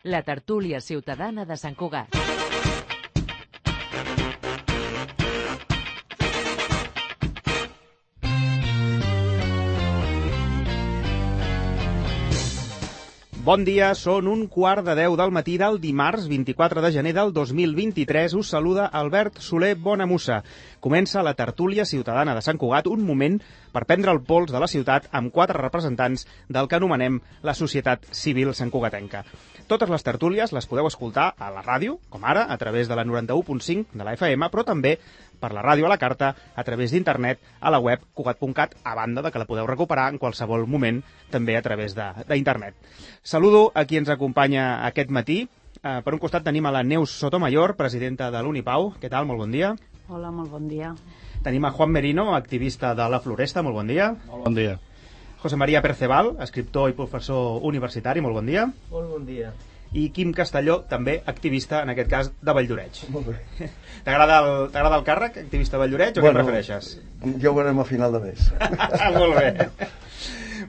La tertúlia ciutadana de Sant Cugat. Bon dia, són 1:15 del matí del dimarts 24 de gener del 2023. Us saluda Albert Soler Bonamussa. Comença la tertúlia ciutadana de Sant Cugat, un moment per prendre el pols de la ciutat amb 4 representants del que anomenem la societat civil santcugatenca. Totes les tertúlies les podeu escoltar a la ràdio, com ara, a través de la 91.5 de la FM, però també per la ràdio a la carta, a través d'internet, a la web cugat.cat, a banda de que la podeu recuperar en qualsevol moment, també a través d'internet. Saludo a qui ens acompanya aquest matí. Per un costat tenim a la Neus Sotomayor, presidenta de l'Unipau. Què tal? Molt bon dia. Hola, molt bon dia. Tenim a Juan Merino, activista de la Floresta. Molt bon dia. Molt bon dia. José María Perceval, escriptor i professor universitari. Molt bon dia. Molt bon dia. I Quim Castelló, també activista, en aquest cas, de Valldoreix. Molt bé. T'agrada el càrrec, activista de Valldoreix, o què prefereixes? Ja ho veurem a final de mes. Molt bé.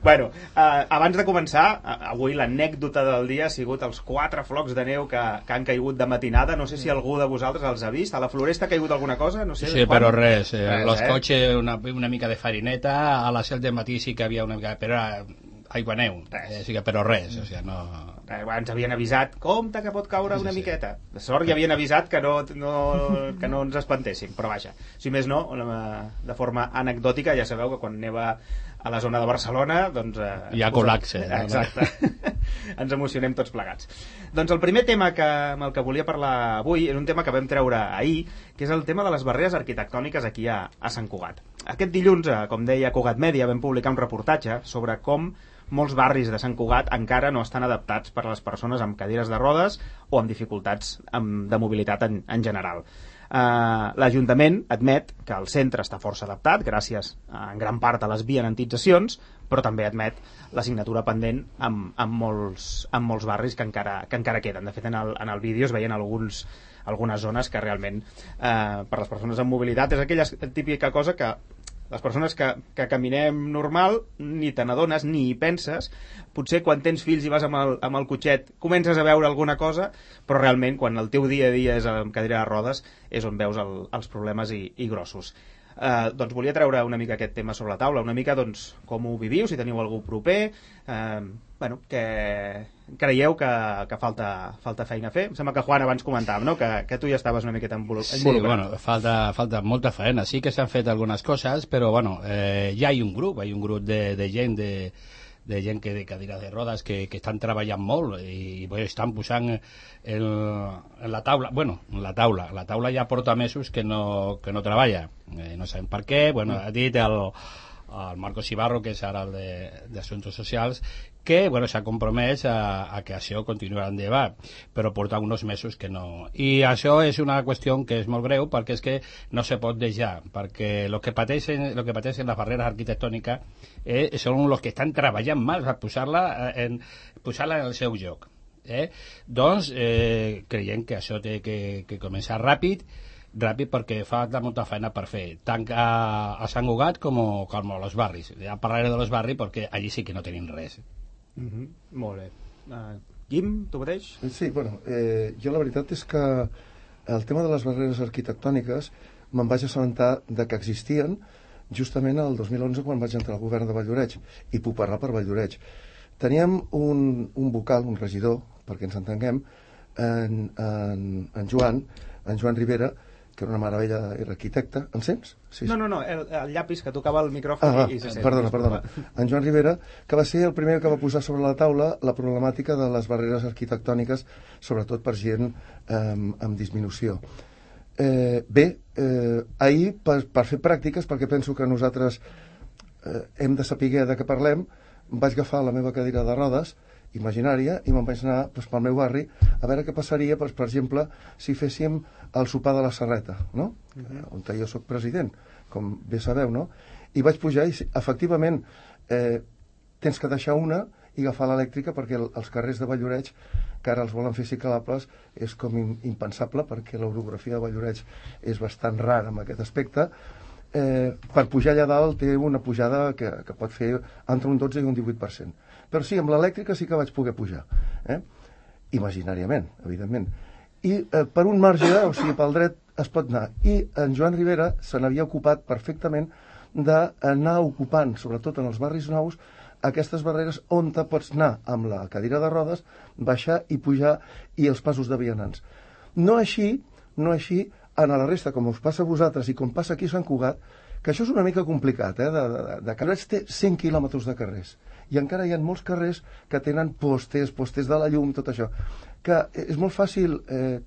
Bueno, abans de començar, avui l'anècdota del dia ha sigut els 4 flocs de neu que han caigut de matinada. No sé si algú de vosaltres els ha vist. A la Floresta ha caigut alguna cosa? No sé, sí, però res. Los cotxes, una mica de farineta. A les 7 del matí sí que havia una mica... Però era aigua neu. Sí que, però res. O sigui, no... Ens havien avisat, compte que pot caure una miqueta. De sort ja havien avisat que no ens espantéssim, però vaja. Si més no, de forma anecdòtica, ja sabeu que quan neva a la zona de Barcelona, doncs... hi ha col·lapse. Exacte. Ens emocionem tots plegats. Doncs el primer tema amb el que volia parlar avui és un tema que vam treure ahir, que és el tema de les barreres arquitectòniques aquí a Sant Cugat. Aquest dilluns, com deia Cugat Mèdia, vam publicar un reportatge sobre com molts barris de Sant Cugat encara no estan adaptats per a les persones amb cadires de rodes o amb dificultats de mobilitat en general. L'Ajuntament admet que el centre està força adaptat, gràcies en gran part a les vianantitzacions, però també admet l'assignatura pendent amb molts barris que encara queden. De fet, en el vídeo es veien algunes zones que realment per les persones amb mobilitat és aquella típica cosa que les persones que caminem normal ni te n'adones ni hi penses. Potser quan tens fills i vas amb el cotxet comences a veure alguna cosa, però realment quan el teu dia a dia és amb cadira de rodes és on veus els problemes i grossos. Doncs volia treure una mica aquest tema sobre la taula, una mica doncs, com ho viviu, si teniu algú proper, que creieu que falta feina a fer. Em sembla que Juan abans comentàvem, no? que tu ja estaves una miqueta involucrat. Sí, bueno, falta molta feina. Sí que s'han fet algunes coses, però bueno, ja hi ha un grup de gent de gent que de cadira de rodes que estan treballant molt i estan posant en la taula, la taula ja porta mesos que no treballa, no sabem per què. Ha dit el Marcos Ibarro, que és ara el d'Assumptes Socials, que s'ha compromès a que això continuarà endavant, però porta uns mesos que no. I això és una qüestió que és molt greu, perquè és que no se pot deixar, perquè el que pateixen les barreres arquitectòniques són els que estan treballant mal per posar-la en el seu lloc. Doncs creiem que això té que començar ràpid perquè fa molta feina per fer, tant a Sant Cugat com a los barris. Ja parlaré de los barris perquè allí sí que no tenim res. Molt bé. Quim, tu mateix? Sí, jo la veritat és que el tema de les barreres arquitectòniques me'n vaig assabentar de que existien justament el 2011 quan vaig entrar al govern de Valldoreix, i puc parlar per Valldoreix. Teníem un vocal, un regidor, perquè ens entenguem, en Joan Rivera, que era una meravella, era arquitecte. Em sents? Sí. No, el llapis que tocava el micròfon i se sent. Perdona. En Joan Rivera, que va ser el primer que va posar sobre la taula la problemàtica de les barreres arquitectòniques, sobretot per gent amb disminució. Ahir, per fer pràctiques, perquè penso que nosaltres hem de saber de què parlem, vaig agafar la meva cadira de rodes imaginària i me'n vaig anar pel meu barri a veure què passaria, per exemple, si féssim el sopar de la Serreta, no? On jo soc president, com bé sabeu, no? I vaig pujar i efectivament tens que deixar una i agafar l'elèctrica, perquè els carrers de Valldoreix, que ara els volen fer ciclables, és com impensable, perquè l'orografia de Valldoreix és bastant rara en aquest aspecte. Per pujar allà dalt té una pujada que pot fer entre un 12 i un 18%. Però sí, amb l'elèctrica sí que vaig poder pujar. imaginàriament, evidentment. I per un marge, o sigui, pel dret es pot anar. I en Joan Rivera se n'havia ocupat perfectament d'anar ocupant, sobretot en els barris nous, aquestes barreres on te pots anar amb la cadira de rodes, baixar i pujar, i els passos de vianants. No així en la resta, com us passa a vosaltres i com passa aquí a Sant Cugat, que això és una mica complicat, de carrers té 100 quilòmetres de carrers, i encara hi ha molts carrers que tenen postes de la llum, tot això, que és molt fàcil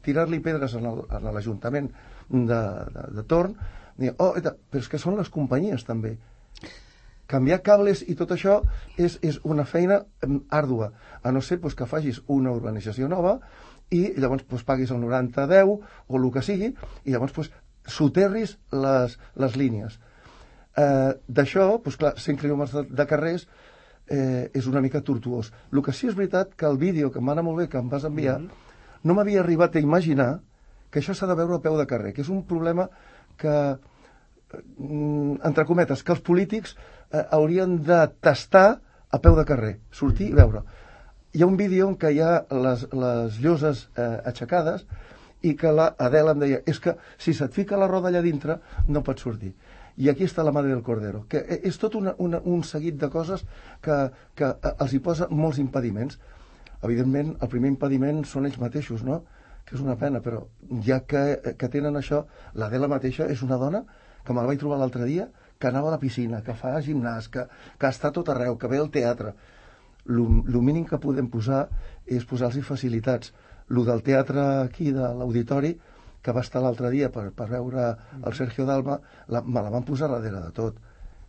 tirar-li pedres a l'Ajuntament de torn, dir, però és que són les companyies també. Canviar cables i tot això és una feina àrdua, a no ser que facis una urbanització nova i llavors paguis el 90-10 o el que sigui, i llavors soterris les línies. D'això, clar, 100 quilòmetres de carrers és una mica tortuós. El que sí és veritat que el vídeo, que em va anar molt bé, que em vas enviar, no m'havia arribat a imaginar que això s'ha de veure a peu de carrer, que és un problema que, entre cometes, que els polítics haurien de tastar a peu de carrer, sortir i veure. Hi ha un vídeo en què hi ha les lloses aixecades i que l'Adela em deia, és que si se't fica la roda allà dintre no pots sortir. I aquí està la Madre del Cordero, que és tot un seguit de coses que els hi posa molts impediments. Evidentment, el primer impediment són ells mateixos, no? Que és una pena, però ja que tenen això, l'Adela mateixa és una dona que me la vaig trobar l'altre dia, que anava a la piscina, que fa gimnàs, que està tot arreu, que ve al teatre. El mínim que podem posar és posar-los facilitats. El del teatre aquí, de l'auditori, que va estar l'altre dia per veure el Sergio Dalma, me la van posar darrere de tot.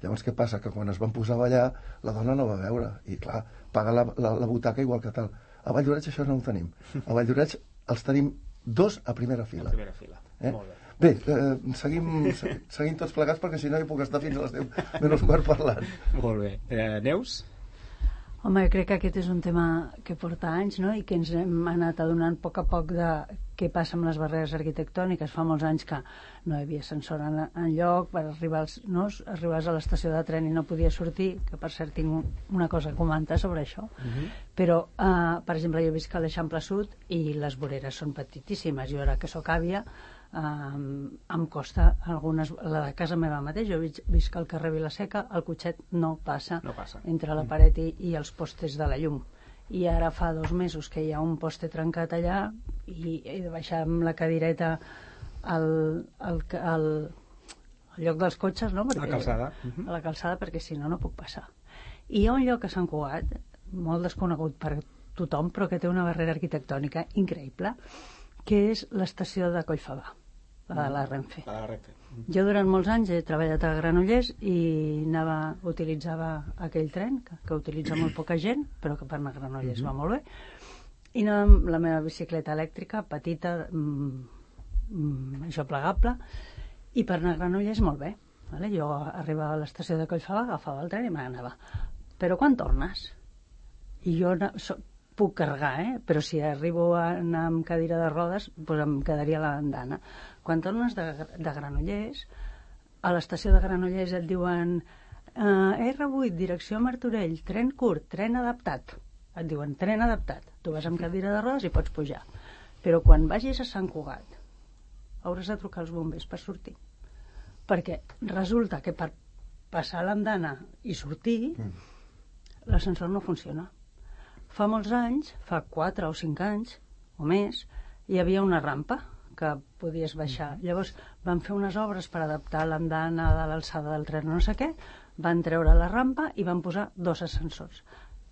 Llavors, què passa? Que quan es van posar a ballar, la dona no va veure. I, clar, paga la butaca igual que tal. A Valldoreix això no ho tenim. A Valldoreix els tenim 2 a primera fila. A primera fila, molt bé. Bé, seguim tots plegats, perquè si no hi puc estar fins a les 10 menys quart parlant. Molt bé. Neus? Home, jo crec que aquest és un tema que porta anys, no?, i que ens hem anat adonant a poc de què passa amb les barreres arquitectòniques. Fa molts anys que no hi havia ascensor enlloc, per arribaves a l'estació de tren i no podies sortir, que per cert tinc una cosa a comentar sobre això. Però, per exemple, jo visc a l'Eixample Sud i les voreres són petitíssimes. Jo ara que sóc àvia, em costa algunes, la de casa meva mateix, jo visc al carrer Vilaseca, el cotxet no passa entre la paret i els postes de la llum, i ara fa 2 mesos que hi ha un poste trencat allà i he de baixar amb la cadireta al lloc dels cotxes, no? A la calçada. A la calçada, perquè si no, no puc passar. I hi ha un lloc a Sant Cugat, molt desconegut per tothom, però que té una barrera arquitectònica increïble, que és l'estació de Collfabà, la de la Renfe. Jo durant molts anys he treballat a Granollers i utilitzava aquell tren, que utilitza molt poca gent, però que per anar a Granollers va molt bé, i anava amb la meva bicicleta elèctrica, petita, això plegable, i per anar a Granollers molt bé. Jo arribava a l'estació de Collfabà, agafava el tren i me n'anava. Però quan tornes? I jo puc carregar, però si arribo a anar amb cadira de rodes, doncs em quedaria a l'andana. Quan tornes de Granollers, a l'estació de Granollers et diuen R8, direcció Martorell, tren curt, tren adaptat. Et diuen tren adaptat. Tu vas amb cadira de rodes i pots pujar. Però quan vagis a Sant Cugat, hauràs de trucar als bombers per sortir. Perquè resulta que per passar l'andana i sortir, l'ascensor no funciona. Fa molts anys, fa 4 o 5 anys o més, hi havia una rampa que podies baixar. Llavors van fer unes obres per adaptar l'andana de l'alçada del tren, no sé què, van treure la rampa i van posar 2 ascensors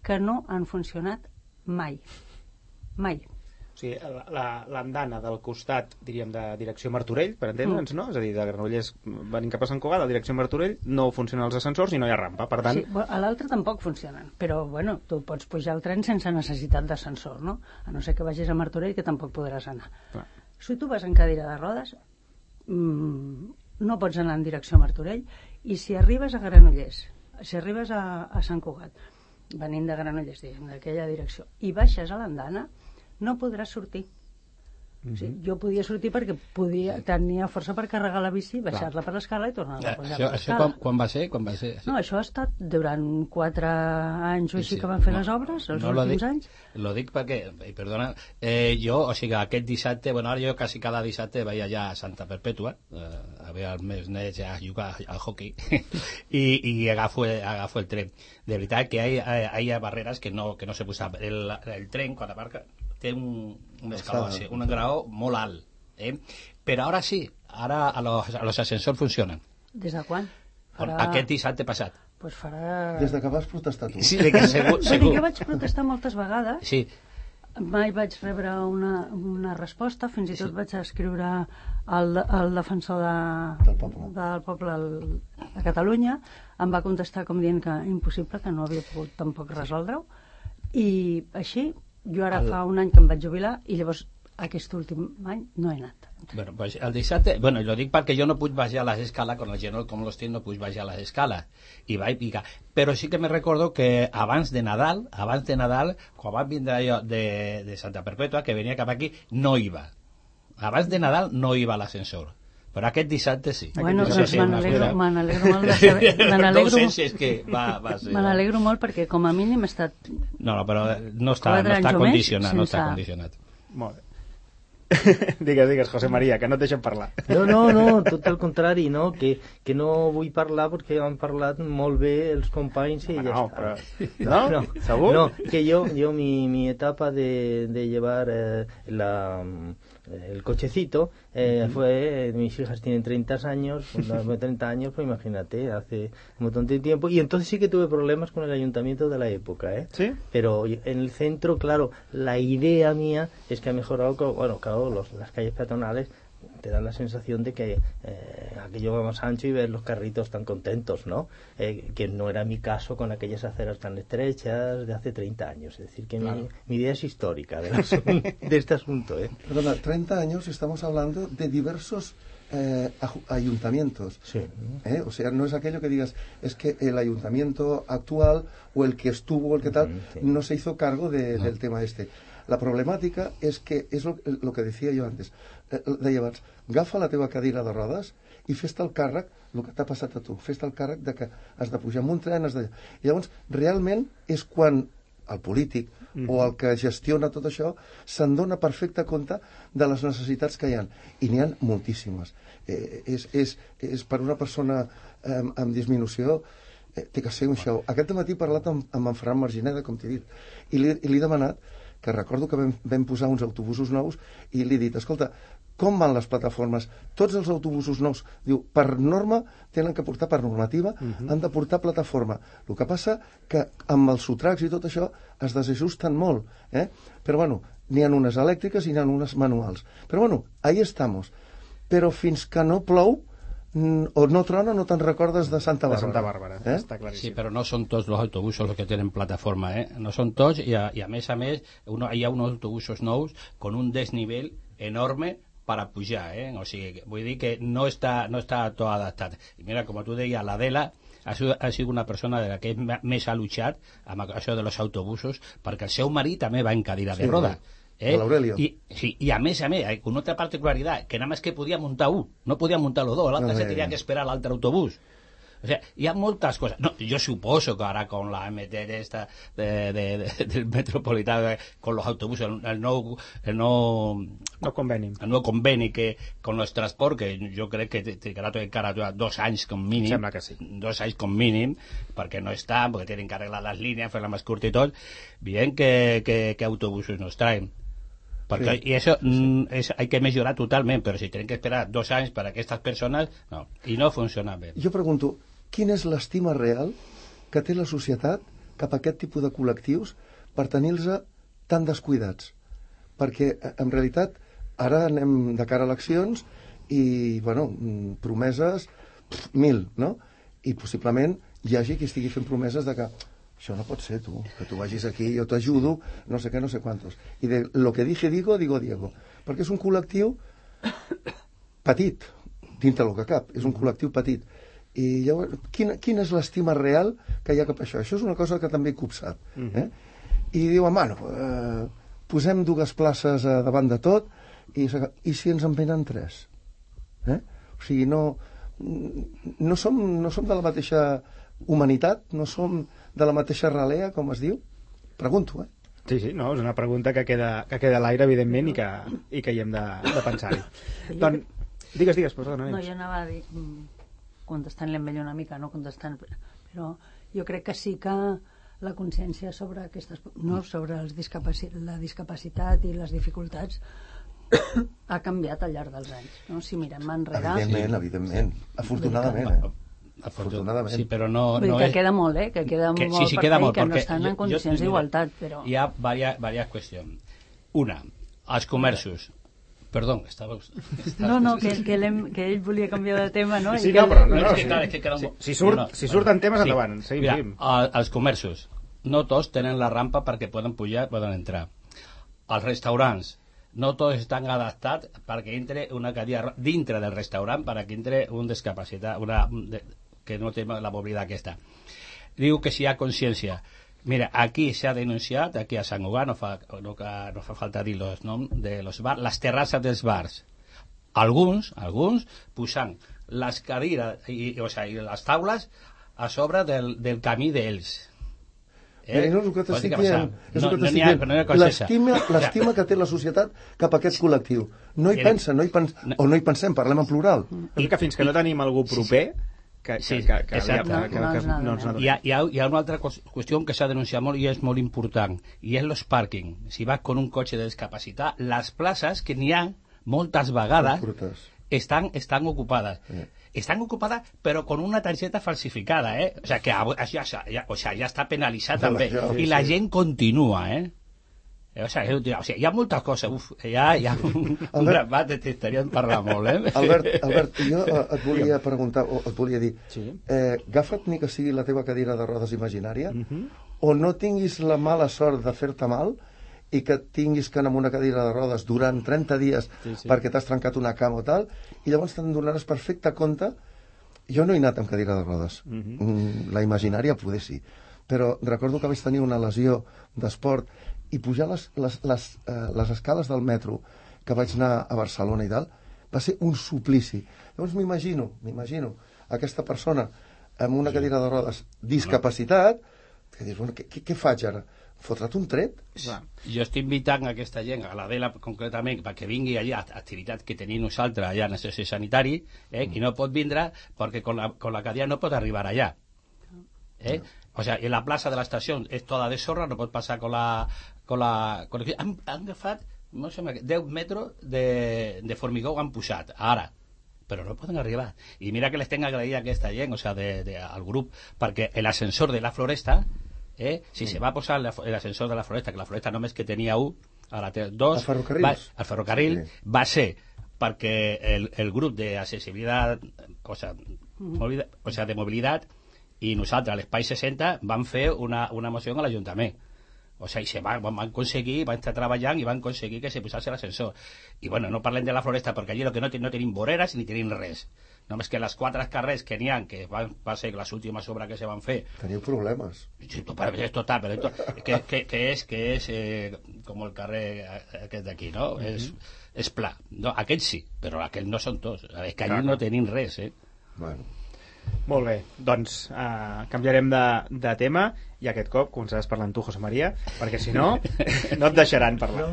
que no han funcionat mai. Mai. O sigui, l'andana del costat, diríem, de direcció Martorell, per entendre'ns, no? És a dir, de Granollers venint cap a Sant Cugat, a direcció Martorell, no funcionen els ascensors i no hi ha rampa, per tant... Sí, a l'altre tampoc funcionen, però, bueno, tu pots pujar al tren sense necessitat d'ascensor, no? A no ser que vagis a Martorell, que tampoc podràs anar. Clar. Si tu vas en cadira de rodes, no pots anar en direcció Martorell, i si arribes a Granollers, si arribes a Sant Cugat, venint de Granollers, d'aquella direcció, i baixes a l'andana, no podràs sortir, O sigui, jo podia sortir perquè tenia força per carregar la bici, baixar-la per l'escala i tornar-la a pujar per l'escala. Això quan va ser? No, això ha estat durant 4 anys o així que van fer les obres, els últims anys. Lo dic perquè, perdona, jo, o sigui, aquest dissabte, bueno, ara jo quasi cada dissabte vaig allà a Santa Perpètua, a veure els meus nets a jugar al hockey, i agafo el tren. De veritat que hi ha barreres que no se posa. El tren, quan aparca, té un graó molt alt, però ara sí, ara los ascensors funcionen. Des de quan? Aquest dissabte passat. Pues farà... Des que vas protestar tu. Sí, que segur. Jo vaig protestar moltes vegades. Sí. Mai vaig rebre una resposta, fins i tot vaig escriure al defensor del poble de Catalunya, em va contestar com dient que impossible, que no havia pogut tampoc resoldre-ho, i així jo ara fa un any que em vaig jubilar i llavors aquest últim any no he anat. Bueno, pues el dissabte, bueno, lo dic perquè jo no puc baixar les escales, con el genoll com los tinc no puc baixar les escales, i vaig picar. Però sí que me recordo que abans de Nadal, quan vam vindre jo de Santa Perpètua, que venia cap aquí, no iba. Abans de Nadal no iba a l'ascensor. Però aquest dissabte sí. Bueno, doncs me n'alegro molt de saber... Me n'alegro molt perquè com a mínim he estat... No, però no està condicionat. Molt bé. Digues, José María, que no et deixen parlar. No, tot el contrari, no? Que no vull parlar perquè han parlat molt bé els companys i ja està. Però... ¿No? ¿Segur? No, que yo mi etapa de llevar el cochecito fue, mis hijas tienen 30 años, 30 años, pues imagínate, hace un montón de tiempo, y entonces sí que tuve problemas con el ayuntamiento de la época, ¿Sí? Pero en el centro, claro, la idea mía es que ha mejorado, bueno, claro, las calles peatonales te dan la sensación de que aquello va más ancho y ver los carritos tan contentos, ¿no? Que no era mi caso con aquellas aceras tan estrechas de hace 30 años. Es decir, que claro, mi idea es histórica de este asunto. Perdona, 30 años estamos hablando de diversos ayuntamientos. Sí. O sea, no es aquello que digas, es que el ayuntamiento actual o el que estuvo o el que tal, sí, no se hizo cargo del tema este. La problemàtica és que, és el que decía jo antes, deia abans, agafa la teva cadira de rodes i fes-te el càrrec, el que t'ha passat a tu, fes-te el càrrec de que has de pujar en un tren, I llavors, realment, és quan el polític o el que gestiona tot això se'n dona perfecte compte de les necessitats que hi ha. I n'hi ha moltíssimes. És per una persona amb disminució té que ser un show. Aquest matí he parlat amb en Ferran Margineda, com t'he dit, i li he demanat, que recordo que vam posar uns autobusos nous, i li he dit, escolta, com van les plataformes? Tots els autobusos nous, diu, per norma tenen que portar, per normativa, han de portar plataforma. El que passa que amb els sotracs i tot això es desajusten molt, però bueno, n'hi ha unes elèctriques i n'hi ha unes manuals. Però bueno, ahí estamos. Però fins que no plou, o no trona, no te'n recordes de Santa Bàrbara. De Santa Bàrbara, està claríssim. Sí, però no són tots els autobusos los que tenen plataforma, No són tots, i a més, hi ha uns autobusos nous con un desnivell enorme para pujar, O sigui, vull dir que no està tot adaptat. I mira, com tu deies, l'Adela ha sigut una persona de la que més ha luchat amb això de los autobusos, perquè el seu marit també va en cadira de roda. I a més, con otra particularidad, que nada más que podía montar uno, no podía montar los dos, l'altre se tenía que esperar al otro autobús. O sea, hi ha moltes coses. No, jo suposo que ara con la MT esta del metropolitano, con los autobuses, el nou conveni que con los transports, que jo crec que trigarà encara 2 anys com mínim. Sembla que sí. 2 anys com mínim, perquè no estan, perquè tienen que arreglar les línies, fer-la més curta i tot. Bien que autobusos nos traen. Porque, y eso hay que mejorar totalmente, pero si tienen que esperar 2 anys para que estas personas, no, y no funciona bé. Jo pregunto, quina és l'estima real que té la societat cap a aquest tipus de col·lectius per tenir-los tan descuidats? Perquè, en realitat, ara anem de cara a eleccions i, bueno, promeses, 1.000, no? I possiblement hi hagi qui estigui fent promeses de que això no pot ser, tu, que tu vagis aquí, jo t'ajudo, no sé què, no sé quantos. I de lo que dije digo, digo Diego. Perquè és un col·lectiu petit, dintre del que cap, és un col·lectiu petit. I llavors, quina és l'estima real que hi ha cap a això? Això és una cosa que també he copsat. I diuen, bueno, posem 2 places davant de tot I si ens en venen 3? O sigui, no som de la mateixa humanitat, no som de la mateixa ralea, com es diu? Pregunto, Sí, no, és una pregunta que queda a l'aire, evidentment, i que hi hem de pensar-hi. Doncs, digues, perdona. No, jo anava a dir, contestant-li amb ell una mica, no contestant, però jo crec que sí que la consciència sobre sobre la discapacitat i les dificultats ha canviat al llarg dels anys, no? Si mirem enrere... Evidentment, afortunadament, Afortunadament. Sí, però no... Vull dir que queda molt, que queda molt sí, queda molt, que no estan en condicions d'igualtat, però... Hi ha diverses qüestions. Una, els comerços. Perdó, estava... No, que ell volia canviar de tema, no? Sí, però... Si surten temes, endavant. Seguim. Els comerços. No tots tenen la rampa perquè poden pujar, poden entrar. Els restaurants. No tots estan adaptats perquè entre una cadira dintre del restaurant perquè entre un discapacitat, que no té la mobilitat aquesta. Diu que si hi ha consciència. Mira, aquí s'ha denunciat, aquí a Sant Cugat, no fa falta dir els noms de los bars, les terrasses dels bars. Alguns posant les cadires i les taules a sobre del camí d'ells. No és el que t'estic dient. L'estima que té la societat cap a aquest col·lectiu. No hi pensen, o no hi pensem, parlem en plural. I que fins que no tenim algú proper que no ens n'adonem. Hi ha una altra qüestió que s'ha denunciat molt i és molt important, i és els pàrquing. Si vas con un cotxe de discapacitat, les places que n'hi ha moltes vegades estan ocupades. Están ocupadas, pero con una tarjeta falsificada, O sea, que ya está penalizada també. I la gent continua, O sea, hi ha moltes coses. Hi ha un grapat de t'estaríem parlant molt, Albert, jo et volia preguntar, o et volia dir, agafa't ni que sigui la teva cadira de rodes imaginària, o no tinguis la mala sort de fer-te mal i que tinguis que anar amb una cadira de rodes durant 30 dies perquè t'has trencat una cama o tal, i llavors te'n donaràs perfecte compte. Jo no he anat amb cadira de rodes. La imaginària poder sí. Però recordo que vaig tenir una lesió d'esport i pujar les escales del metro que vaig anar a Barcelona i tal, va ser un suplici. Llavors m'imagino aquesta persona amb una cadira de rodes discapacitat, que dius, bueno, què faig ara? Fotre't un tret? Jo estic invitant aquesta gent, a l'Adela concretament, perquè vingui allà a activitats que tenim nosaltres allà en el centre sanitari, i no pot vindre perquè con la cadira no pot arribar allà. O sea, en la plaça de l'estació és tota de sorra, no pot passar con la... Han agafat, no sé, 10 metres de formigó han posat, ara, però no poden arribar. I mira que les tenc agraït a aquesta gent, o sea, al grup, perquè l'ascensor de la Floresta, si se va a posar l'ascensor de la Floresta, que la Floresta només que tenia un, ara té dos, al ferrocarril, va ser perquè el grup d'accessibilitat, o sea, de mobilitat, i nosaltres, a l'Espai 60, vam fer una moció a l'Ajuntament. O sigui, van aconseguir, van estar treballant i van aconseguir que se posés l'ascensor. I bueno, no parlem de la Floresta perquè allí no tenim voreres ni tenim res. Només que les 4 carrers que n'hi ha, que va ser les últimes obres que se van fer... Teniu problemes. Sí, és total, però que és com el carrer aquest d'aquí, no? És pla. No, aquests sí, però aquests no són tots. És que allí no tenim res, Bueno. Molt bé, doncs canviarem de tema i aquest cop començaràs parlant tu, José María, perquè si no, no et deixaran parlar.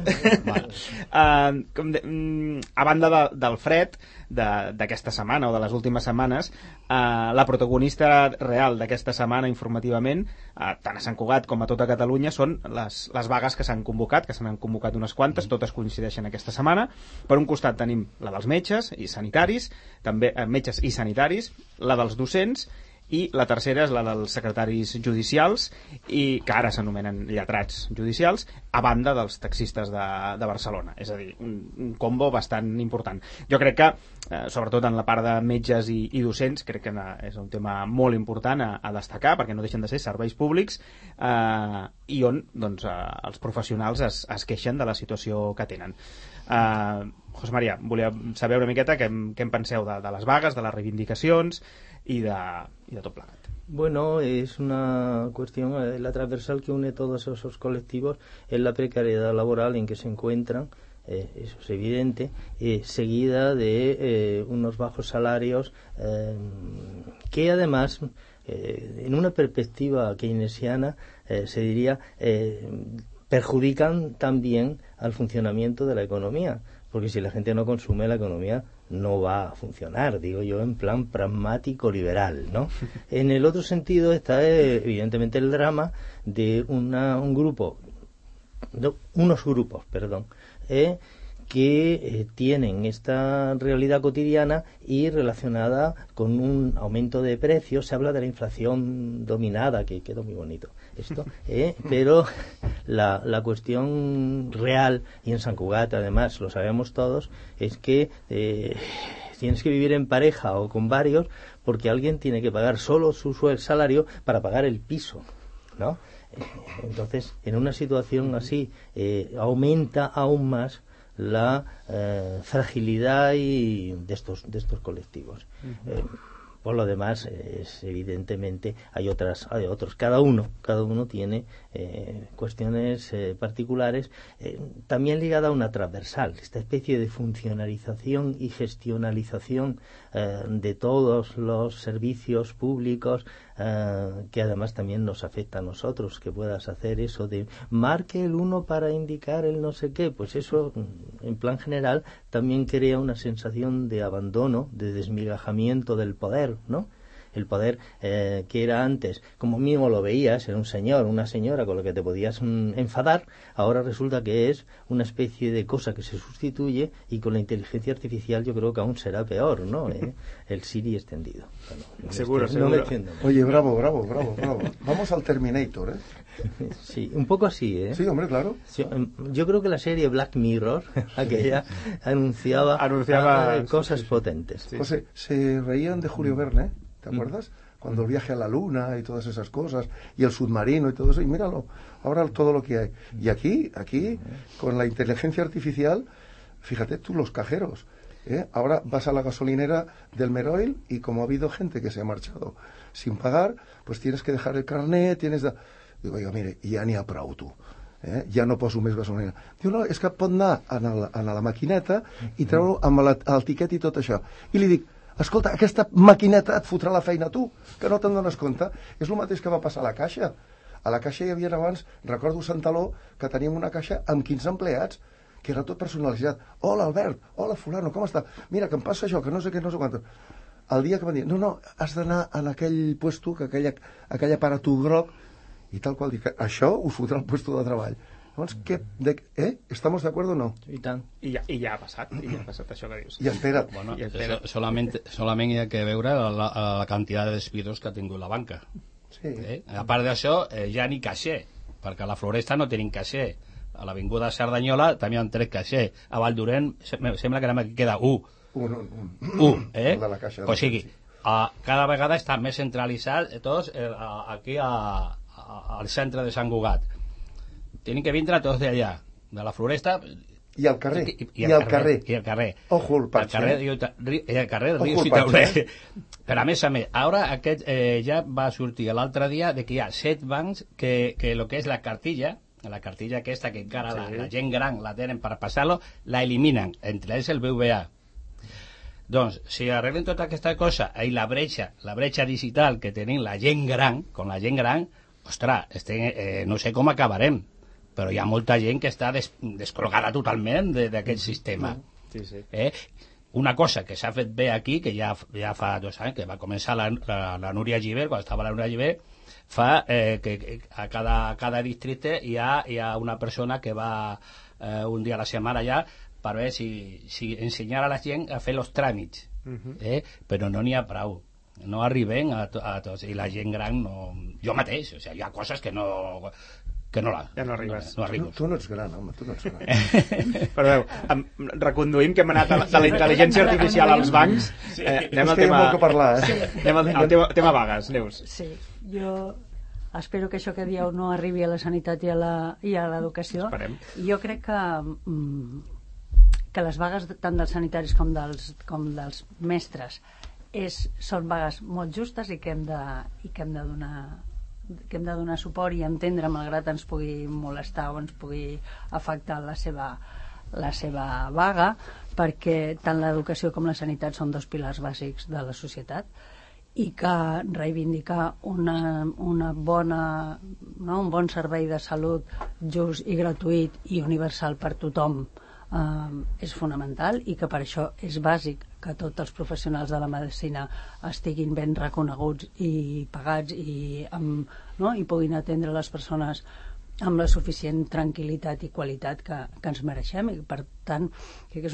A banda del fred d'aquesta setmana o de les últimes setmanes, la protagonista real d'aquesta setmana informativament, tant a Sant Cugat com a tota Catalunya, són les vagues que s'han convocat, que se n'han convocat unes quantes, totes coincideixen aquesta setmana. Per un costat tenim la dels metges i sanitaris, també metges i sanitaris, la dels docents, i la tercera és la dels secretaris judicials, i que ara s'anomenen lletrats judicials, a banda dels taxistes de Barcelona. És a dir, un combo bastant important. Jo crec que, sobretot en la part de metges i docents, crec que és un tema molt important a destacar, perquè no deixen de ser serveis públics, i on doncs, els professionals es queixen de la situació que tenen. José María, volia saber una miqueta què en penseu de les vagues, de les reivindicacions y de todo plegat. Bueno, es una cuestión, la transversal que une todos esos colectivos es la precariedad laboral en que se encuentran eso es evidente, seguida de unos bajos salarios que además, en una perspectiva keynesiana, se diría, perjudican también al funcionamiento de la economía, porque si la gente no consume, la economía no va a funcionar, digo yo, en plan pragmático liberal, ¿no? En el otro sentido está evidentemente el drama de unos grupos, que tienen esta realidad cotidiana y relacionada con un aumento de precios. Se habla de la inflación dominada, que quedó muy bonito esto, pero la cuestión real, y en Sant Cugat además lo sabemos todos, es que tienes que vivir en pareja o con varios, porque alguien tiene que pagar solo su salario para pagar el piso, ¿no? Entonces, en una situación así, aumenta aún más la fragilidad de estos colectivos. Por lo demás, evidentemente hay otros. Cada uno tiene cuestiones particulares, también ligada a una transversal, esta especie de funcionalización y gestionalización de todos los servicios públicos, que además también nos afecta a nosotros, que puedas hacer eso de marque el 1 para indicar el no sé qué, pues eso en plan general también crea una sensación de abandono, de desmigajamiento del poder, ¿no? El poder que era antes, como mismo lo veías, era un señor, una señora con la que te podías enfadar, ahora resulta que es una especie de cosa que se sustituye, y con la inteligencia artificial yo creo que aún será peor, ¿no? El Siri extendido. Bueno, Seguro. Oye, bravo. Vamos al Terminator, Sí, un poco así, Sí, hombre, claro. Yo creo que la serie Black Mirror, aquella, anunciaba cosas potentes. Sí. José, se reían de Julio Verne, ¿te acuerdas? Cuando el viaje a la luna y todas esas cosas, y el submarino y todo eso, y míralo, ahora todo lo que hay. Y aquí, con la inteligencia artificial, fíjate tú, los cajeros, ahora vas a la gasolinera del Meroil, y como ha habido gente que se ha marchado sin pagar, pues tienes que dejar el carnet, Digo, oiga, mire, ja n'hi ha prou, tu. Ja no poso més gasolina. Diu, no, és que pot anar a la maquineta i treure amb el tiquet i tot això. I li dic, escolta, aquesta maquineta et fotrà la feina a tu, que no te'n dones compte. És el mateix que va passar a la caixa. A la caixa hi havia abans, recordo Sant Taló, que teníem una caixa amb 15 empleats, que era tot personalitzat. Hola, Albert, hola, fulano, com està? Mira, que em passa això, que no sé què, no sé quant. El dia que van dir, no, has d'anar en aquell puesto, que aquell aparato groc, i tal qual, dic, això us fotrà el puesto de treball. Llavors, ¿estamos de acuerdo o no? I tant. I ja ha passat això que dius. I espera't. Bueno, solament hi ha que veure la quantitat de despidos que ha tingut la banca. Sí. A part d'això, ja ni caixer, perquè a la Floresta no tenim caixer. A l'Avinguda Cerdanyola també han tret caixer. A Valldorent sembla que només queda un. De la caixa. O sigui, cada vegada està més centralitzat tots aquí al centre de Sant Cugat. Tenen que vindre tots d'allà, de la Floresta i al carrer. I al carrer. Ojo el parche. I al carrer Riu Citauler. Però a més, ara aquest ja va sortir l'altre dia de que hi ha 7 bancs que lo que és la cartilla aquesta que encara la gent gran la tenen per passar-lo, la eliminen, entre ells el BVA. Doncs, si arreglen tota aquesta cosa i la bretxa digital que tenim la gent gran, ostres, no sé com acabarem, però hi ha molta gent que està descol·logada totalment d'aquest sistema. Sí. Una cosa que s'ha fet bé aquí, que ja fa 2 anys, que va començar la Núria Gibert, quan estava la Núria Gibert, fa que a cada districte hi ha una persona que va un dia a la setmana allà per veure si ensenyar a la gent a fer els tràmits, però no n'hi ha prou. No arriben a tots, i la gent gran no... Jo mateix, o sigui, hi ha coses que no arribes. Tu no ets gran, home, tu no ets gran. Perdó, reconduïm que hem anat de la intel·ligència artificial als bancs. Anem al tema... molt que parlar, Anem al tema vagues, Neus. Sí, jo espero que això que dieu no arribi a la sanitat i a l'educació. Esperem. Jo crec que les vagues tant dels sanitaris com dels mestres són vagues molt justes i que hem de donar suport i entendre, malgrat ens pugui molestar o ens pugui afectar la seva la seva vaga, perquè tant l'educació com la sanitat són dos pilars bàsics de la societat i que reivindicar una bona, no? Un bon servei de salut just i gratuït i universal per tothom és fonamental, i que per això és bàsic que tots els professionals de la medicina estiguin ben reconeguts i pagats i puguin atendre les persones amb la suficient tranquil·litat i qualitat que ens mereixem, i per tant crec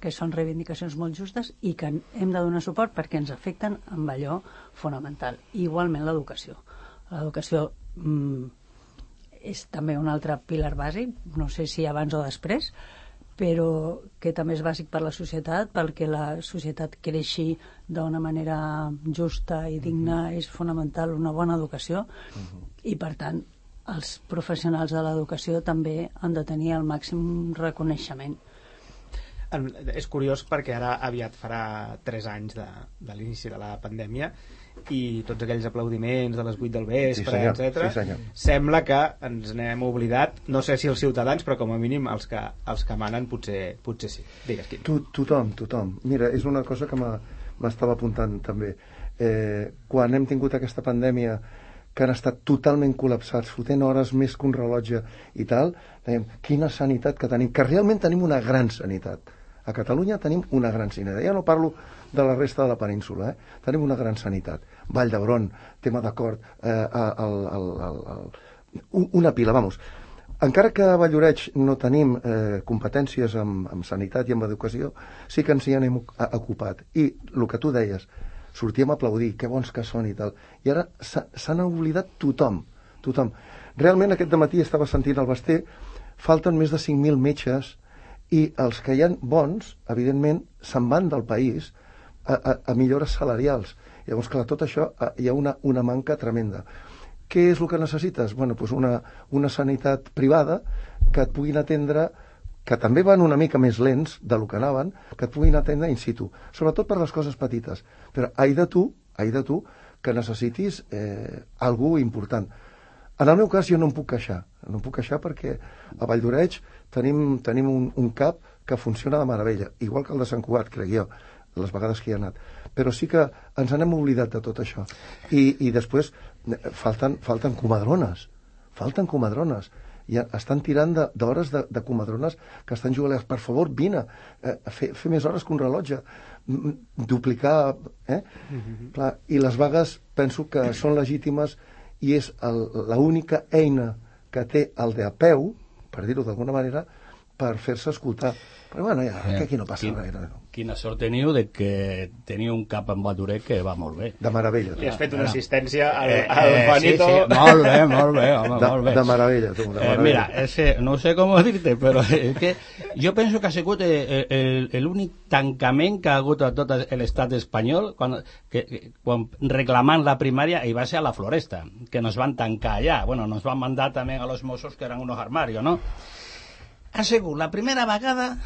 que són reivindicacions molt justes i que hem de donar suport perquè ens afecten amb allò fonamental. Igualment l'educació. L'educació és també un altre pilar bàsic, no sé si abans o després, però que també és bàsic per la societat, perquè la societat creixi d'una manera justa i digna. És fonamental una bona educació i per tant els professionals de l'educació també han de tenir el màxim reconeixement. És curiós perquè ara aviat farà 3 anys de l'inici de la pandèmia i tots aquells aplaudiments de les 8 del vespre, etc. Sembla que ens n'hem oblidat, no sé si els ciutadans, però com a mínim els que manen potser sí. Digues, Quim. Tothom. Mira, és una cosa que m'estava apuntant també. Quan hem tingut aquesta pandèmia que han estat totalment col·lapsats, fotent hores més que un rellotge i tal, dèiem, quina sanitat que tenim, que realment tenim una gran sanitat. A Catalunya tenim una gran sanitat. Ja no parlo de la resta de la península, tenim una gran sanitat. Vall d'Hebron, tema d'acord, una pila, vamos. Encara que a Valloreig no tenim competències amb sanitat i amb educació, sí que ens hi anem ocupat. I el que tu deies, sortíem a aplaudir, que bons que són i tal. I ara s'han oblidat tothom. Realment aquest dematí estava sentint el Basté, falten més de 5.000 metges i els que hi ha bons, evidentment, se'n van del país a millores salarials. Llavors, clar, tot això hi ha una manca tremenda. Què és el que necessites? Bueno, doncs una sanitat privada que et puguin atendre, que també van una mica més lents del que anaven, que et puguin atendre in situ, sobretot per les coses petites. Però ai de tu que necessitis algú important. En el meu cas jo no em puc queixar perquè a Valldoreix tenim un CAP que funciona de meravella, igual que el de Sant Cugat, crec jo, les vegades que hi ha anat. Però sí que ens n'hem oblidat de tot això. I després falten comadrones. I estan tirant d'hores de comadrones que estan jugant. Per favor, vine, fer més hores que un rellotge, duplicar... Clar, i les vagues penso que són legítimes i és l'única eina que té el de a peu, per dir-ho d'alguna manera, per fer-se escoltar. Però bueno, que aquí no passa res. Quina sort teniu de que teniu un cap en Valldoreix que va molt bé. De meravella. I has fet una assistència al Juanito. Sí, molt bé, home, molt bé. De meravella, tu, de meravella. Mira, no sé com dir-te, però és que jo penso que ha sigut l'únic tancament que ha hagut a tot l'estat espanyol quan reclamant la primària, i va ser a la Floresta, que nos van tancar allà. Bueno, nos van mandar també a los Mossos, que eren unos armarios, ¿no? Ha sigut la primera vegada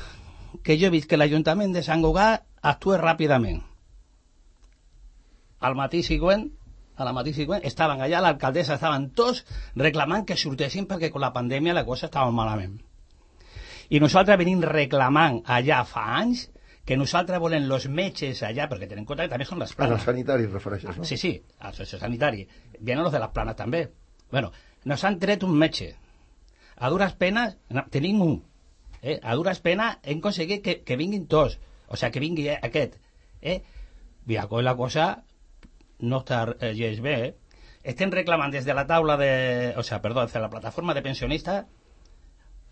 que jo he vist que l'Ajuntament de Sant Cugat actua ràpidament. Al matí següent estaven allà, l'alcaldessa, estaven tots reclamant que sortessin perquè amb la pandèmia la cosa estava malament. I nosaltres venim reclamant allà fa anys que nosaltres volem els metges allà, perquè tenen en compte que també són les planes. Als sanitaris refereixes, no? Sí, als sanitaris. Vienen los de les planes també. Bueno, nos han tret un metge. A dures penes, tenim un. A dures penes hem aconseguit que vinguin tots. O sigui, que vingui aquest. Mira, la cosa no està gens bé. Estem reclamant des de la taula de... O sigui, perdó, des de la plataforma de pensionistes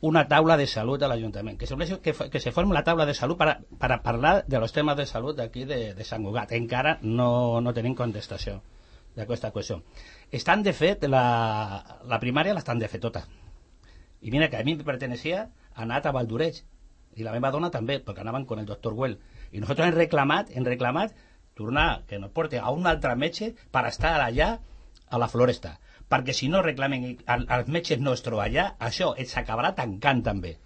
una taula de salut a l'Ajuntament. Que se forme la taula de salut para parlar de los temas de salud d'aquí de Sant Cugat. Encara no tenim contestació d'aquesta qüestió. Estan de fet, la primària l'estan de fet tota. I mira que a mi em pertenecía a anat a Valldoreix i la meva dona també, perquè anaven con el doctor Güell, i nosaltres hem reclamat tornar, que nos porte a un altre metge per estar allà a la Floresta, perquè si no reclamen als metges nostres allà, això s'acabarà tancant també,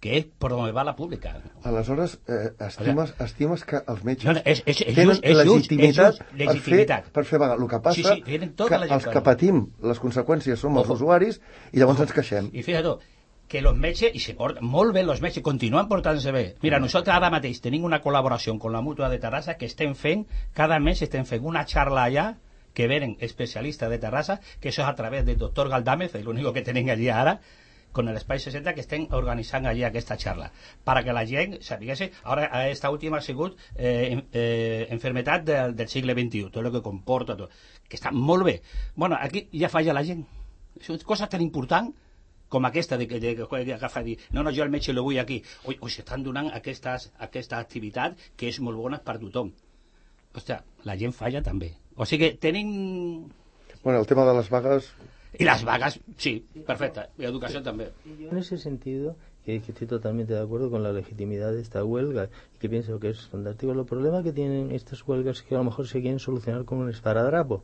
que és per on va la pública. Aleshores, estimes que els metges tenen legitimitat per fer vaga. El que passa que els que patim les conseqüències som els usuaris i llavors ens queixem. I fíjate, que els metges, i se porten molt bé els metges, continuen portant-se bé. Mira, nosaltres ara mateix tenim una col·laboració amb la Mútua de Terrassa que estem fent, cada mes estem fent una xarra allà, que venen especialistes de Terrassa, que això és a través del doctor Galdámez, l'únic que tenim allí ara, con el Espai 60, que estem organitzant allí aquesta xarra, perquè la gent sapigués. Ara, aquesta última ha sigut enfermetat del segle XXI, tot el que comporta, tot, que està molt bé. Bueno, aquí ja falla la gent. És una cosa tan important com aquesta de que agafa i dir, no, jo el metge lo vull aquí. O s'estan donant aquesta activitat que és molt bona per tothom. Ostres, la gent falla també. O sigui que tenim... Bueno, el tema de les vagues... Y las vagas, sí, perfecta. Y educación también. En ese sentido, que estoy totalmente de acuerdo con la legitimidad de esta huelga y que pienso que es fantástico. El problema que tienen estas huelgas es que a lo mejor se quieren solucionar con un esparadrapo.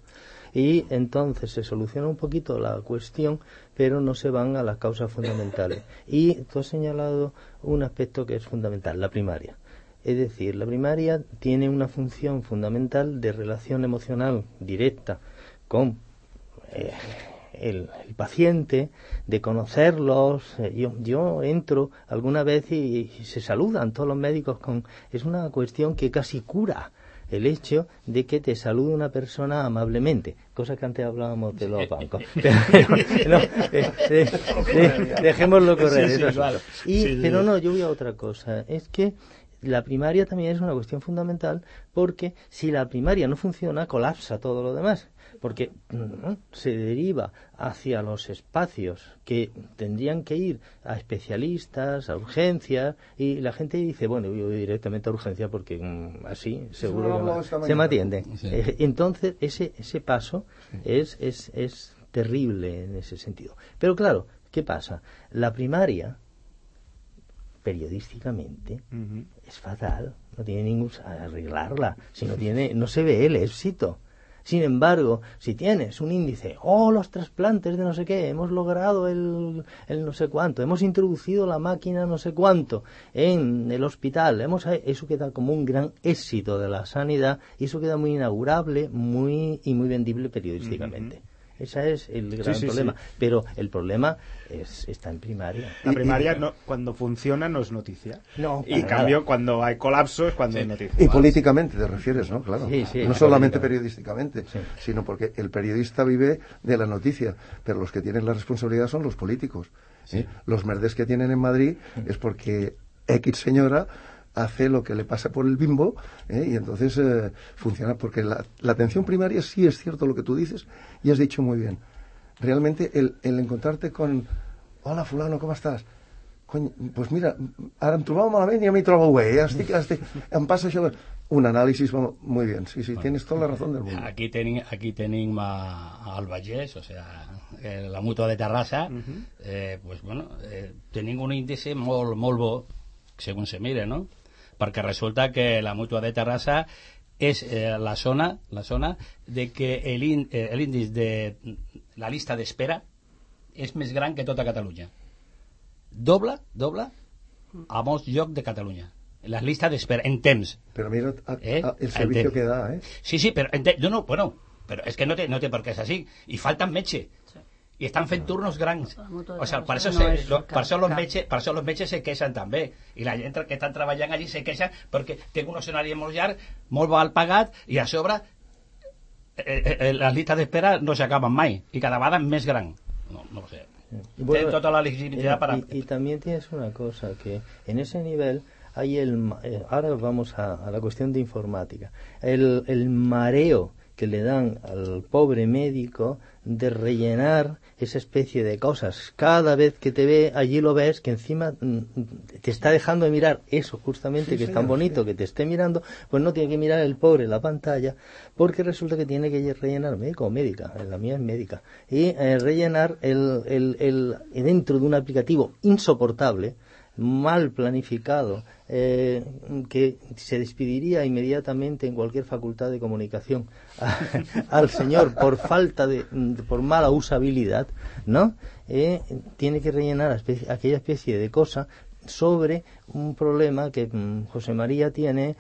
Y entonces se soluciona un poquito la cuestión, pero no se van a las causas fundamentales. Y tú has señalado un aspecto que es fundamental, la primaria. Es decir, la primaria tiene una función fundamental de relación emocional directa con el paciente, de conocerlos. Yo entro alguna vez y se saludan todos los médicos es una cuestión que casi cura el hecho de que te salude una persona amablemente, cosa que antes hablábamos de los bancos. Dejémoslo correr. Sí, claro. Pero no, yo voy a otra cosa. Es que la primaria también es una cuestión fundamental, porque si la primaria no funciona, colapsa todo lo demás, porque se deriva hacia los espacios que tendrían que ir a especialistas, a urgencias, y la gente dice, bueno, yo voy directamente a urgencia porque así seguro que se me atiende. Sí. Entonces ese paso es terrible en ese sentido. Pero claro, ¿qué pasa? La primaria periodísticamente es fatal, no tiene ningún arreglarla, si no se ve el éxito. Sin embargo, si tienes un índice, los trasplantes de no sé qué, hemos logrado el no sé cuánto, hemos introducido la máquina no sé cuánto en el hospital, eso queda como un gran éxito de la sanidad, y eso queda muy inaugurable, muy vendible periodísticamente. Ese es el gran problema. Sí. Pero el problema está en primaria. La primaria, no, cuando funciona, no es noticia. No, y en cambio, cuando hay colapso, es cuando es noticia. Y políticamente te refieres, ¿no? Claro. Sí, no solamente periodísticamente, sino porque el periodista vive de la noticia, pero los que tienen la responsabilidad son los políticos. Sí. Los merdes que tienen en Madrid es porque X señora hace lo que le pasa por el bimbo, y entonces funciona, porque la atención primaria sí es cierto lo que tú dices, y has dicho muy bien. Realmente el encontrarte con, hola fulano, ¿cómo estás? Cony, pues mira, ara em trobava malament i a mi trobo bé, em passa això, un análisis, muy bien, sí, tienes toda la razón del mundo. Aquí tenim al Vallès, o sea, la Mútua de Terrassa, pues bueno, tenim un índice molt bo, segons se mire, no? Perquè resulta que la Mútua de Terrassa és la zona de que l'índice de la llista d'espera és més gran que tota Catalunya. Doble a molts llocs de Catalunya. La lista d'espera, en temps. Pero mira el servicio que da, ¿eh? Sí, pero pero es que no té per què és així. I falten metge. I estan fent turnos grans. O sea, per això los metges se queixen també. I la gent que estan treballant allí se queixen perquè té un escenari molt llarg, molt mal pagat, i a sobre les llistes d'espera no s'acaben mai. I cada vegada més gran. No ho sé. Tiene toda la legitimidad para... Y también tienes una cosa, que en ese nivel hay ahora vamos a la cuestión de informática. El mareo que le dan al pobre médico de rellenar esa especie de cosas. Cada vez que te ve, allí lo ves, que encima te está dejando de mirar eso justamente, que es tan bonito que te esté mirando, pues no tiene que mirar el pobre la pantalla, porque resulta que tiene que rellenar, médico o médica, la mía es médica, y rellenar dentro de un aplicativo insoportable, mal planificado, que se despediría inmediatamente en cualquier facultad de comunicación al señor por mala usabilidad, ¿no? Tiene que rellenar aquella especie de cosa sobre un problema que José María tiene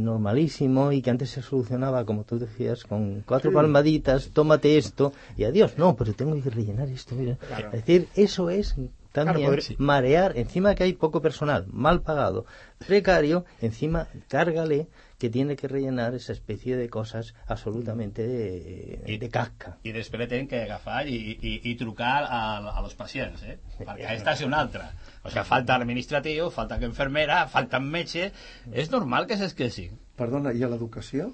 normalísimo, y que antes se solucionaba, como tú decías, con 4 palmaditas, tómate esto y adiós. No, pero tengo que rellenar esto, mira. Claro. Es decir, eso es también marear, encima que hay poco personal, mal pagado, precario, encima cárgale que tiene que rellenar esa especie de cosas absolutamente de casca. I després tenen que agafar i trucar a los pacients, perquè aquesta és una altra. O sigui, falta administratiu, falta enfermera, falta metge. És normal que s'esqueixi. Perdona, i a l'educació?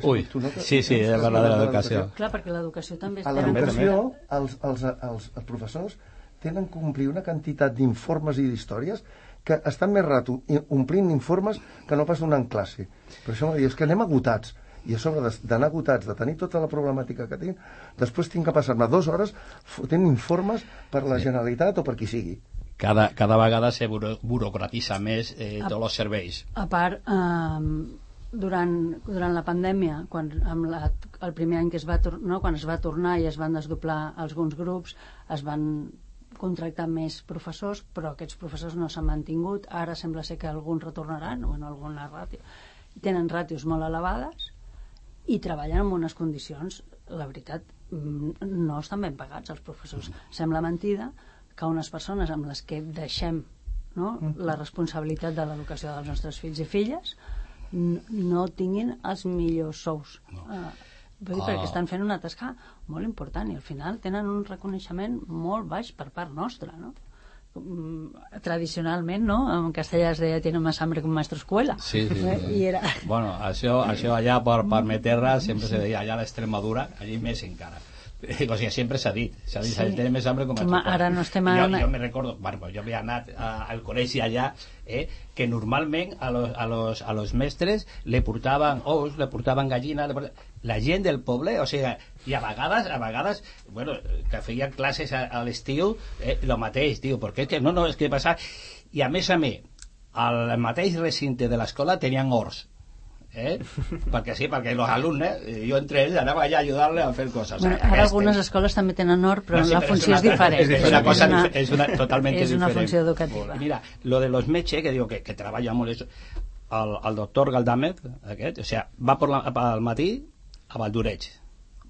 Ui, sí, he parlat de l'educació. Clar, perquè l'educació també... A l'educació, els professors tenen que complir una quantitat d'informes i d'històries que estan més rato omplint informes que no pas donant classe. Per això m'ha dit, és que anem agotats. I a sobre d'anar agotats, de tenir tota la problemàtica que tinc, després tinc que passar-me 2 hores fotent informes per la Generalitat o per qui sigui. Cada vegada se burocratitza més tots els serveis. A part, durant la pandèmia, el primer any que quan es va tornar i es van desdoblar alguns grups, es van contractar més professors, però aquests professors no s'han mantingut. Ara sembla ser que alguns retornaran, o en alguna ràtio. Tenen ràtios molt elevades i treballen en unes condicions, la veritat, no estan ben pagats els professors. Sembla mentida que unes persones amb les que deixem la responsabilitat de l'educació dels nostres fills i filles no tinguin els millors sous. Perquè estan fent una tasca molt important i al final tenen un reconeixement molt baix per part nostra, no? Tradicionalment, no? En castellà es deia tiene más hambre que un maestro escuela. Sí. I era... Bueno, això allà per mi terra sempre se deia, allà a l'Extremadura, allí més encara. O sigui, sempre s'ha dit, tiene més hambre que un maestro escuela. Ara no estem... Jo me recordo, jo havia anat al col·legi allà, que normalment a los mestres le portaven ous, le portaven gallina, la gent del poble, o sigui, i a vegades, bueno, que feien classes a l'estiu, lo mateix, tio, perquè és que no, és que passa... I a més, al mateix recinte de l'escola tenien horts, perquè sí, perquè els alumnes, jo entre ells anava allà a ajudar-les a fer coses. Bueno, ara algunes escoles també tenen hort, però la funció és diferent. És una totalment diferent. És una funció educativa. Mira, lo de los metges, que digo que treballa molt això, el doctor Galdámez, aquest, o sea, va al matí a Valdureig,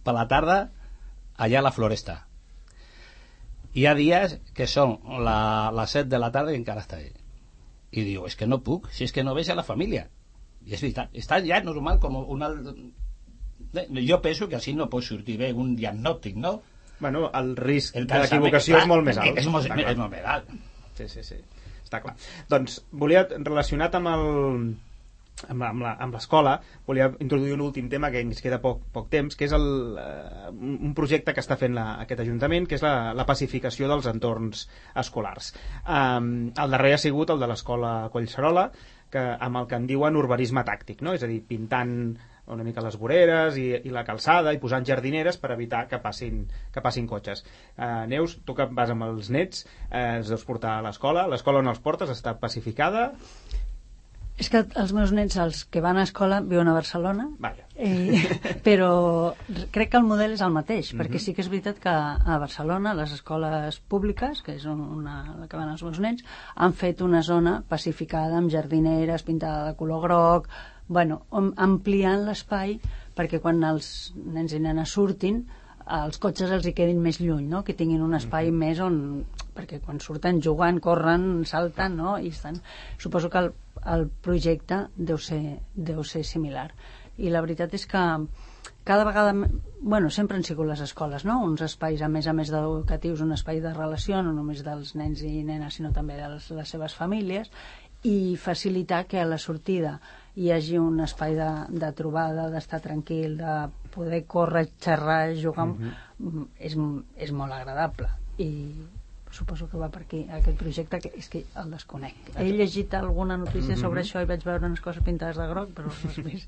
per la tarda allà a la Floresta. Hi ha dies que són les 7 de la tarda i encara està allà. I diu, és que no puc, si és que no veig a la família. I és veritat, està ja normal com una... Jo penso que així no pot sortir bé un diagnòstic, no? Bueno, el risc d'equivocació és molt més alt. És molt més alt. Sí, està clar. Doncs volia, relacionat amb l'escola, volia introduir un últim tema que ens queda poc temps, que és un projecte que està fent aquest Ajuntament, que és la pacificació dels entorns escolars. El darrer ha sigut el de l'escola Collserola, amb el que en diuen urbanisme tàctic, no? És a dir, pintant una mica les voreres i la calçada i posant jardineres per evitar que passin cotxes. Neus, tu que vas amb els nets, els deus portar a l'escola on els portes està pacificada? És que els meus nets, els que van a escola, viuen a Barcelona, però crec que el model és el mateix, perquè sí que és veritat que a Barcelona les escoles públiques, que és la que van els meus nens, han fet una zona pacificada amb jardineres, pintada de color groc, bueno, ampliant l'espai perquè quan els nens i nenes surtin els cotxes els hi quedin més lluny, no? Que tinguin un espai més on... perquè quan surten jugant, corren, salten, no? I estan... Suposo que el projecte deu ser similar. I la veritat és que cada vegada... Bueno, sempre han sigut les escoles, no? Uns espais, a més d'educatius, un espai de relació, no només dels nens i nenes, sinó també de les seves famílies, i facilitar que a la sortida hi hagi un espai de trobada, d'estar tranquil, de poder córrer, xerrar, jugar, és molt agradable. I suposo que va per aquí aquest projecte, que és que el desconec. He llegit alguna notícia sobre això i vaig veure unes coses pintades de groc, però res més.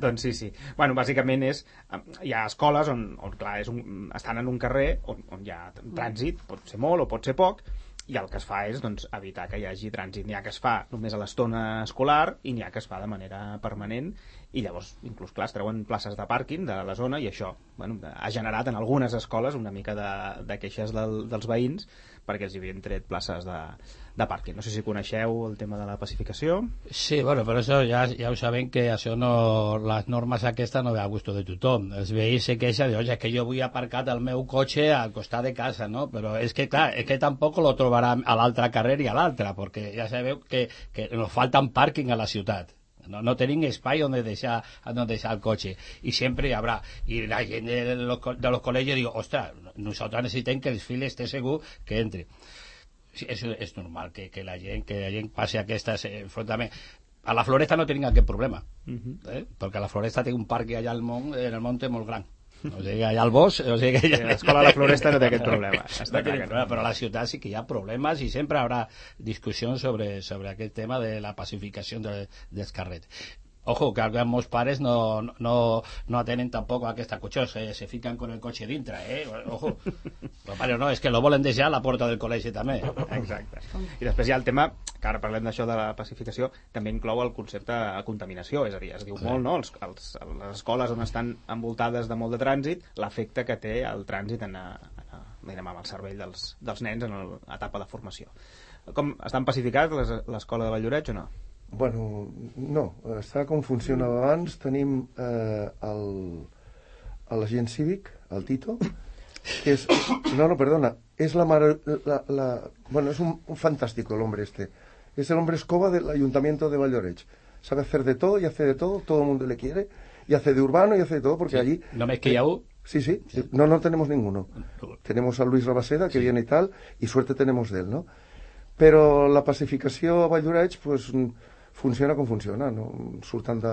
Doncs sí. Bueno, bàsicament hi ha escoles on clar, estan en un carrer on hi ha trànsit, pot ser molt o pot ser poc, i el que es fa és evitar que hi hagi trànsit. N'hi ha que es fa només a l'estona escolar i n'hi ha que es fa de manera permanent i llavors, inclús, clar, es treuen places de pàrquing de la zona i això ha generat en algunes escoles una mica de queixes dels veïns perquè els havien tret places de pàrquing. No sé si coneixeu el tema de la pacificació. Sí, bueno, però això ja ho sabem que això no, les normes aquestes no ve a gust de tothom. Els veïns se queixen de, és que jo vull aparcar el meu cotxe al costat de casa, no? Però és que, clar, és que tampoc lo trobarà a l'altre carrer i a l'altre, perquè ja sabeu que nos faltan pàrquing a la ciutat. No tenim espai on deixar el cotxe i sempre hi haurà, i la gent de los col·legis diu, ostres, nosaltres necessitem que el fill esté segur que entre. Sí, és normal que la gent passi aquestes enfrontaments. A la Floresta no tenim aquest problema, perquè la Floresta té un parc allà en el monte molt gran. O sigui, allà al bosc, o sigui que l'escola de la Floresta no té aquest problema. Però a la ciutat sí que hi ha problemes i sempre hi haurà discussions sobre aquest tema de la pacificació dels carrers. Ojo, que alguns pares no atenen tampoc a aquesta qüestió, se fiquen con el cotxe dintre, ojo. Però pare, no, és que lo volen deixar a la porta del col·legi també. Exacte. I després hi ha el tema, que ara parlem d'això de la pacificació, també inclou el concepte de contaminació, és a dir, es diu molt, no? Les escoles on estan envoltades de molt de trànsit, l'efecte que té el trànsit amb el cervell dels nens en l'etapa de formació. Com estan pacificats l'escola de Valldoreix o no? Bueno, no, està com funcionava abans. Tenim l'agent cívic, el Tito, que és... No, perdona, es bueno, es un fantástico el hombre este. Es el hombre escoba del ayuntamiento de Valldoreix. Sabe hacer de todo y hace de todo el mundo le quiere, y hace de urbano y hace de todo, porque sí, allí... ¿No me es que ya hubo? Sí, no tenemos ninguno. Tenemos a Luis Rabaseda, que viene y tal, y suerte tenemos de él, ¿no? Però la pacificació a Valldoreix pues, funciona com funciona, no? Surten de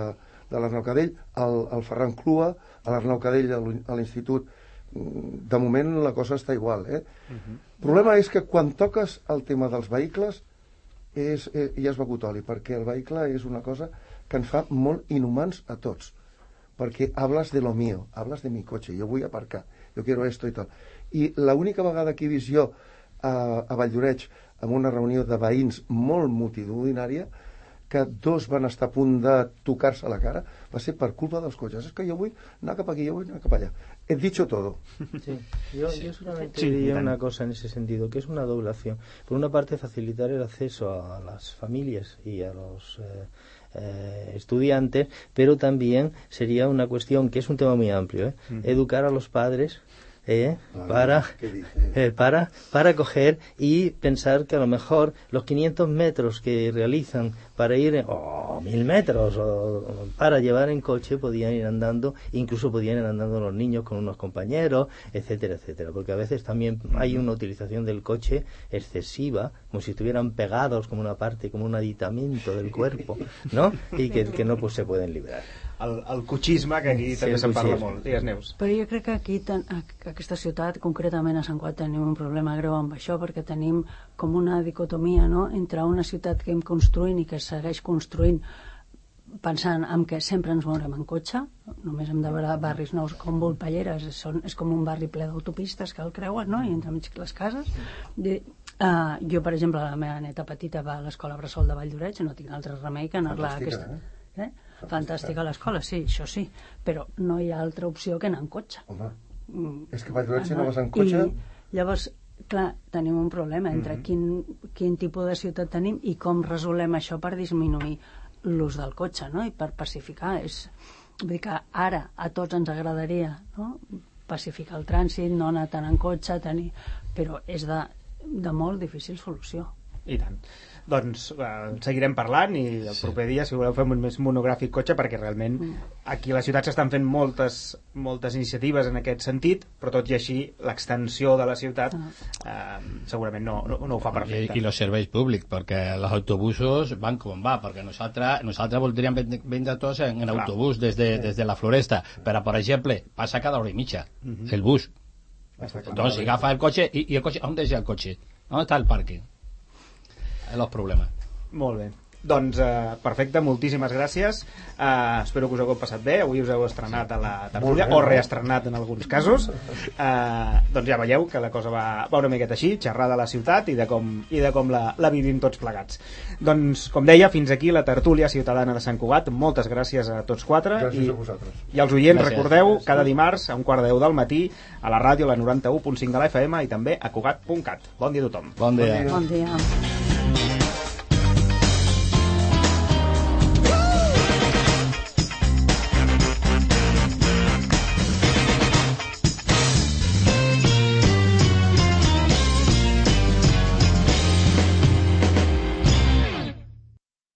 l'Arnau Cadell al Ferran Clua, a l'Arnau Cadell a l'institut. De moment la cosa està igual, El problema és que quan toques el tema dels vehicles ja és begut oli, perquè el vehicle és una cosa que ens fa molt inhumans a tots, perquè hablas de lo mío, hablas de mi coche, yo voy a aparcar, yo quiero esto y tal. I l'única vegada que he vist jo a Valldoreix amb una reunió de veïns molt multitudinària, que dos van estar a punt de tocar-se a la cara, va ser per culpa dels cotxes. Es que jo vull anar cap aquí, yo voy anar cap allá. He dicho todo. Sí. Yo solamente diría una cosa en ese sentido, que es una doble acción. Por una parte, facilitar el acceso a las familias y a los estudiantes, pero también sería una cuestión, que es un tema muy amplio, educar a los padres para coger y pensar que a lo mejor los 500 metros que realizan para ir, o 1000 metros para llevar en coche, podían ir andando, incluso podían ir andando los niños con unos compañeros, etcétera, etcétera, porque a veces también hay una utilización del coche excesiva, como si estuvieran pegados como una parte, como un aditamento del cuerpo, ¿no? Y que no pues se pueden librar. El cotxisme, que aquí també se'n parla molt. Digues, Neus. Però jo crec que aquí, aquesta ciutat, concretament a Sant Cugat, tenim un problema greu amb això, perquè tenim com una dicotomia, no?, entre una ciutat que hem construint i que segueix construint pensant en que sempre ens mourem en cotxe, només hem de veure barris nous com Volpelleres, és com un barri ple d'autopistes que el creuen, no?, i entremig les cases. Jo, per exemple, la meva neta petita va a l'escola Bressol de Valldoreix, no tinc altre remei que anar-la a aquesta... Fantàstica l'escola, sí, això sí, però no hi ha altra opció que anar en cotxe. Home, és que Valldoreix si no vas en cotxe... I llavors, clar, tenim un problema entre quin tipus de ciutat tenim i com resolem això per disminuir l'ús del cotxe, no?, i per pacificar. Vull dir que ara a tots ens agradaria, no?, pacificar el trànsit, no anar tant en cotxe, però és de molt difícil solució. I tant. Doncs seguirem parlant i el proper dia, si voleu, fem un més monogràfic cotxe, perquè realment aquí a la ciutat s'estan fent moltes iniciatives en aquest sentit, però tot i així l'extensió de la ciutat segurament no ho fa perfecte. I els serveis públics, perquè els autobusos van com va, perquè nosaltres voldríem vendre tots en autobús des de la Floresta, però, per exemple, passa cada hora i mitja el bus. Doncs si agafa el cotxe, i el cotxe, on deixa el cotxe? On està el pàrquing? Els problemes. Molt bé. Doncs perfecte, moltíssimes gràcies. Espero que us hagueu passat bé. Avui us heu estrenat a la tertúlia, o reestrenat en alguns casos. Doncs ja veieu que la cosa va una miqueta així, xerrar de la ciutat i de com la vivim tots plegats. Doncs, com deia, fins aquí la tertúlia ciutadana de Sant Cugat. Moltes gràcies a tots quatre. Gràcies a vosaltres. I als oients, Gràcies. recordeu, cada dimarts a 1:15 del matí a la ràdio, a la 91.5 de la FM i també a Cugat.cat. Bon dia a tothom. Bon dia. Bon dia.